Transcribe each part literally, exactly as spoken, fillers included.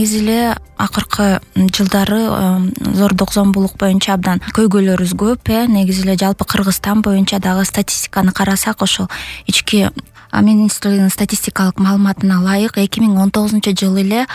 негизи эле акыркы жылдары зордук зомбулук боюнча абдан көйгөйлөрүбүз көп э негизи эле жалпы Кыргызстан боюнча дагы статистиканы карасак, ошол ички министрлигинин статистикалык маалыматына ылайык эки миң он тогузунчу жылы эле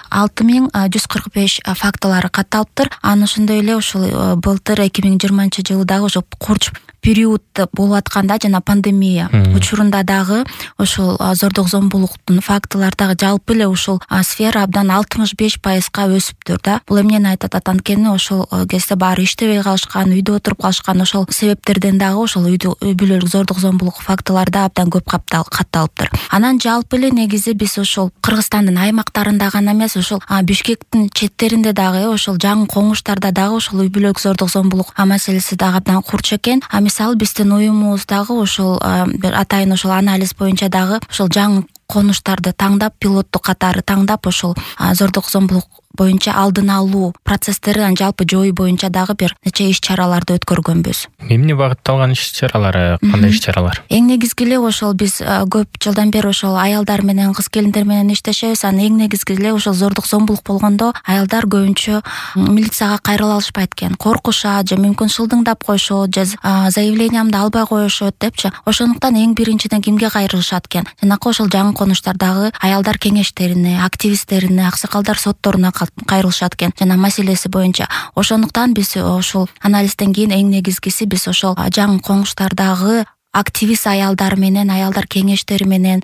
алты миң жүз кырк беш фактылары катталыптыр. Анан ошондой эле ушул былтыр эки миң жыйырманчы жылы дагы ошол курч период болуп атканда жана пандемия учурунда дагы ошол зордук зомбулуктун фактылары дагы жалпы эле ушул сфера абдан алтымыш беш пайызга өсүптүр да. Бул эмнени айтат? Анткени ошол кезде баары иштебей калышкан, үйдө отуруп калышкан, ошол себептерден дагы ошол үй бүлөлүк зордук зомбулук фактылары да абдан көп катталыптыр. Анан жалпы эле негизи биз ошол Кыргызстандын аймактарында гана эмес, ошол Бишкектин четтеринде дагы, ошол жаңы коңуштарда дагы ошол үй бүлөлүк зордук зомбулук маселеси дагы абдан курч экен. Мисалы биздин уюмубуз дагы ошол бир атайын ошол анализ боюнча дагы ошол жаңы конуштарды таңдап, пилоттук катары таңдап, ошол зордук зомбулук боюнча алдын алуу процесстерин жалпы жою боюнча дагы бир нече иш-чараларды өткөргөнбүз. Эмне багытталган иш-чаралар, кандай иш-чаралар? Эң негизги эле ошол биз көп жылдан бери ошол аялдар менен, кыз келиндер менен иштешебиз. Анан эң негизги эле ошол зордук зомбулук болгондо аялдар көбүнчө милицияга кайрыла алышпайт экен. Коркушат же мүмкүн шылдыңдап коюшот, же заявлениямды албай коюшот депчи. Ошондуктан эң биринчиден кимге кайрылышат экен? Жанакы ошол жаңы конуштардагы аялдар кеңештерине, активисттерине, аксакалдар сотторуна кайрылышат экен жана маселеси боюнча. Ошондуктан биз ошол анализден кийин эң негизгиси биз ошол жаңы коңуштардагы активист аялдар менен, аялдар кеңештери менен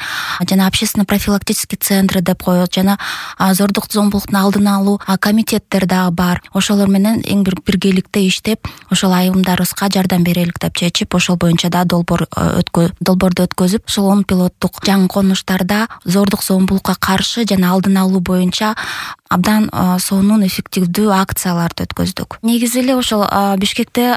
жана общественно профилактический центры деп коет, жана зордук зомбулуктун алдын алуу комитеттер дагы бар. Ошолор менен эң бир биргеликте иштеп, ошол айымдарыбызга жардам берелик деп чечип, ошол боюнча да долбоор өткө долбоорду өткөзүп, ошол он пилоттук жаңы конуштарда зордук зомбулукка каршы жана алдын алуу боюнча абдан сонун эффективдүү акцияларды өткөздүк. Негизи эле ошол Бишкекте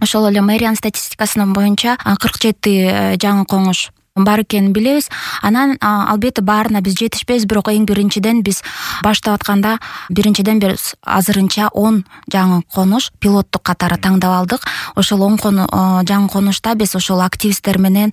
ошол эле мэриянын статистикасынын боюнча кырк жети жаңы коңуш бар экенин билебиз. Анан албетте баарына биз жетишпейбиз, бирок эң биринчиден биз баштап атканда биринчиден биз азырынча он жаңы конуш пилоттук катары таңдап алдык. Ошол он жаңы конушта биз ошол активисттер менен,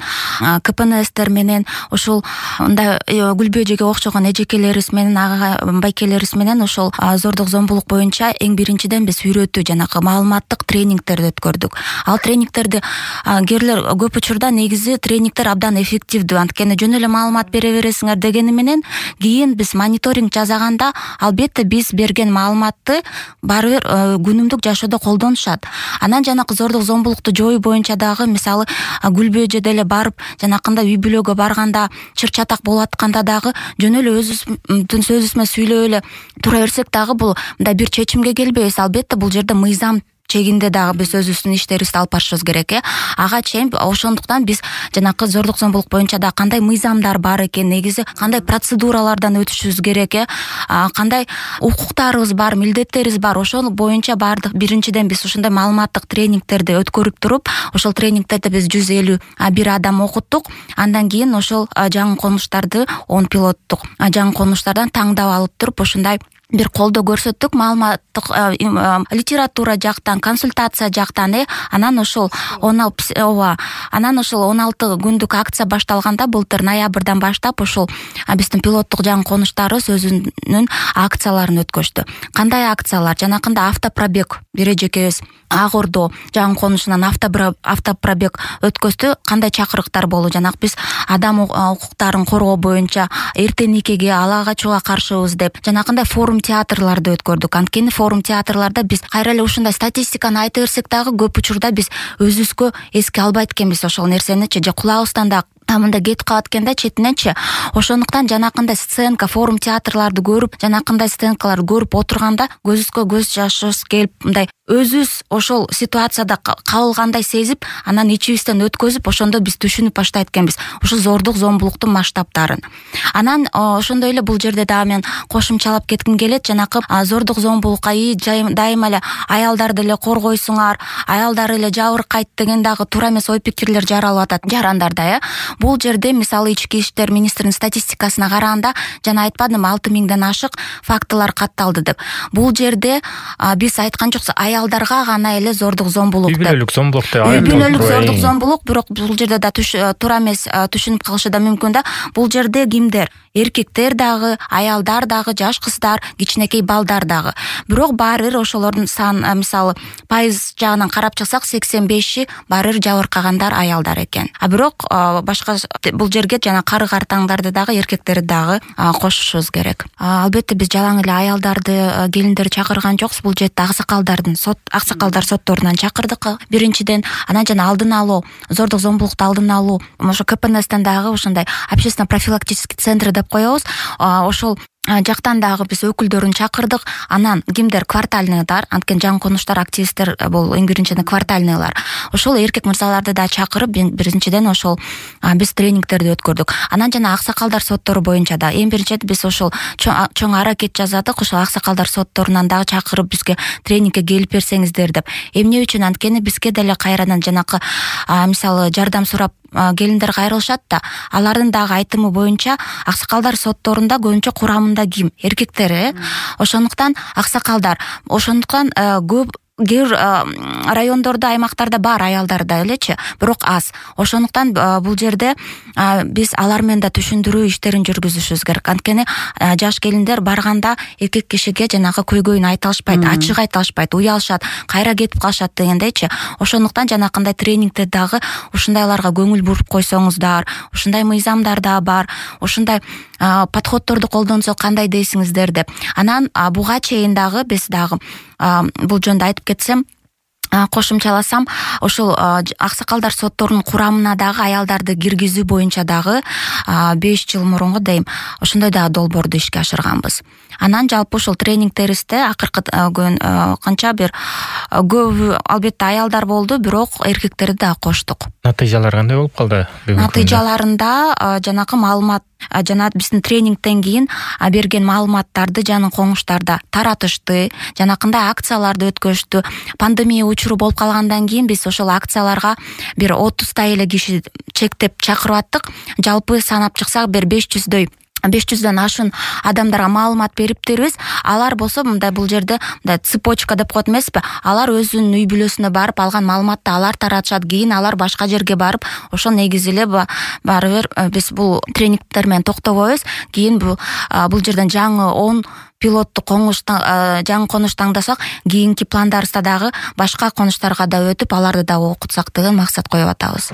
КПНСтер менен, ошол мындай Гүлбү эжеге окшогон эжекелерибиз менен, ага байкелерибиз менен ошол зордук зомбулук боюнча эң биринчиден биз үйрөтүү жанакы маалыматтык тренингтерди өткөрдүк. Ал тренингтерди кээрлер көп учурда негизи тренингтер абдан эффективдүү, анткени жөн эле маалымат бере бересиңер дегени менен кийин биз мониторинг жасаганда албетте биз берген маалыматты баары бир күнүмдүк жашоодо колдонушат. Анан жанакы зордук зомбулукту жою боюнча дагы мисалы Гүлбү эже деле барып жанакындай үй бүлөгө барганда, чыр чатак болуп атканда дагы жөн эле өзүбүздүн сөзүбүз менен сүйлөп эле тура берсек дагы бул мындай бир чечимге келбейбиз. Албетте бул жерде мыйзам чегинде дагы биз өзүбүздүн иштерибизди алып барышыбыз керек э. Ага чейин ошондуктан биз жанакы зордук зомбулук боюнча да кандай мыйзамдар бар экен, негизи кандай процедуралардан өтүшүбүз керек э, кандай укуктарыбыз бар, милдеттерибиз бар. Ошол боюнча баардык биринчиден биз ушундай маалыматтык тренингтерди өткөрүп туруп, ошол тренингтерди биз жүз элүү бир адам окуттук. Андан кийин ошол жаңы конуштарды он пилоттук жаңы конуштардан таңдап алып туруп ушундай бир колдоо көрсөттүк, маалыматтык литература жактан, консультация жактан э. Анан ошол ооба анан ошол он алты күндүк акция башталганда былтыр ноябрдан баштап ошол биздин пилоттук жаңы конуштарыбыз өзүнүн акцияларын өткөздү. Кандай акциялар? Жанакында автопробег бир эжекебиз Ак Ордо жаңы конушунан автопробег өткөздү. Кандай чакырыктар болду? Жанак биз адам укуктарын коргоо боюнча эрте никеге, ала качууга каршыбыз деп жанакындай форум театрларды өткөрдүк. Анткени форум театрларда биз кайра эле ушундай статистиканы айта берсек дагы көп учурда биз өзүбүзгө эске албайт экенбиз ошол нерсеничи, же кулагыбыздан да мында кетип калат экен да четиненчи. Ошондуктан жанакындай сценка, форум театрларды көрүп, жанакындай сценкаларды көрүп отурганда көзүбүзгө көз жашыбыз келип, мындай өзүбүз ошол ситуацияда кабылгандай сезип, анан ичибизден өткөзүп, ошондо биз түшүнүп баштайт экенбиз ошол зордук зомбулуктун масштабтарын. Анан ошондой эле бул жерде дагы мен кошумчалап кетким келет. Жанакы зордук зомбулукка дайыма эле аялдарды эле коргойсуңар, аялдар эле жабыркайт деген дагы туура эмес ой пикирлер жаралып атат жарандарда э. бул жерде мисалы ички иштер министринин статистикасына караганда жана айтпадым алты миңден ашык фактылар катталды деп. Бул жерде биз айткан жокпуз аялдарга гана эле зордук зомбулук деп. Үй бүлөлүк зомбулук деп. Үй бүлөлүк зордук зомбулук, бирок бул жерде да туура эмес түшүнүп калышы да мүмкүн да. Бул жерде кимдер? Эркектер дагы, аялдар дагы, жаш кыздар, кичинекей балдар дагы. Бирок баары бир ошолордун сан мисалы пайыз жагынан карап чыксак сексен беши баары бир жабыркагандар аялдар экен. А бирок башка бул жерге жана кары картаңдарды дагы эркектерди дагы кошушубуз керек. Албетте биз жалаң эле аялдарды, келиндерди чакырган жокпуз. Бул жерде аксакалдардын сот аксакалдар сотторунан чакырдык биринчиден. Анан жана алдын алуу, зордук зомбулукту алдын алуу, ошо ка пэ эн эстен дагы ошондой общественно профилактический центр деп коебуз. Ошол жактан дагы биз өкүлдөрүн чакырдык. Анан кимдер? Квартальныйдар, анткени жаңы конуштар активисттер бул эң биринчиден квартальныйлар. Ошол эркек мырзаларды да чакырып биринчиден ошол биз тренингтерди өткөрдүк. Анан жана аксакалдар соттору боюнча да эң биринчиден биз ошол чоң аракет жасадык. Ошол аксакалдар сотторунан дагы чакырып бизге тренингке келип берсеңиздер деп. Эмне үчүн? Анткени бизге деле кайрадан жанакы мисалы жардам сурап келиндер кайрылышат да, алардын дагы айтымы боюнча аксакалдар сотторунда көбүнчө курамында ким? Эркектер, э? Ошондуктан аксакалдар, ошондуктан көп кээ бир райондордо, аймактарда бар аялдар да элечи, бирок аз. Ошондуктан бул жерде биз алар менен да түшүндүрүү иштерин жүргүзүшүбүз керек. Анткени жаш келиндер барганда эркек кишиге жанагы көйгөйүн айта алышпайт, ачык айта алышпайт, уялышат, кайра кетип калышат дегендейчи. Ошондуктан жанакындай тренингде дагы ушундайларга көңүл буруп койсоңуздар, ушундай мыйзамдар да бар, ушундай подходторду колдонсок кандай дейсиңиздер деп. Анан буга чейин дагы биз дагы бул жөнүндө айтып кетсем, кошумчаласам, ошол аксакалдар сотторунун курамына дагы аялдарды киргизүү боюнча дагы беш жыл мурунку дейм, ошондой дагы долбоорду ишке ашырганбыз. Анан жалпы ошол тренингтерибизде акыркы канча бир көбү албетте аялдар болду, бирок эркектерди дагы коштук. Натыйжалар кандай болуп калды? Натыйжаларында жанакы маалымат жана биздин тренингден кийин берген маалыматтарды жанын коңуштарда таратышты, жанакындай акцияларды өткөрүштү. Пандемия учуру болуп калгандан кийин биз ошол акцияларга бир отуздай эле киши чектеп чакырып аттык. Жалпы санап чыксак бир беш жүздөй беш жүздөн ашын адамдарга маалымат бериптербиз. Алар болсо мындай бул жерде мындай цепочка деп коет эмеспи? Алар өзүнүн үй бүлөсүнө барып алган маалыматты алар таратышат, кийин алар башка жерге барып ошол негизи эле баары бир биз бул тренингтер менен токтобойбуз. Кийин бул бул жерден жаңы он пилотту коңуш жаңы конуш таңдасак, кийинки пландарыбызда дагы башка конуштарга да өтүп, аларды да окутсак деген максат коюп атабыз.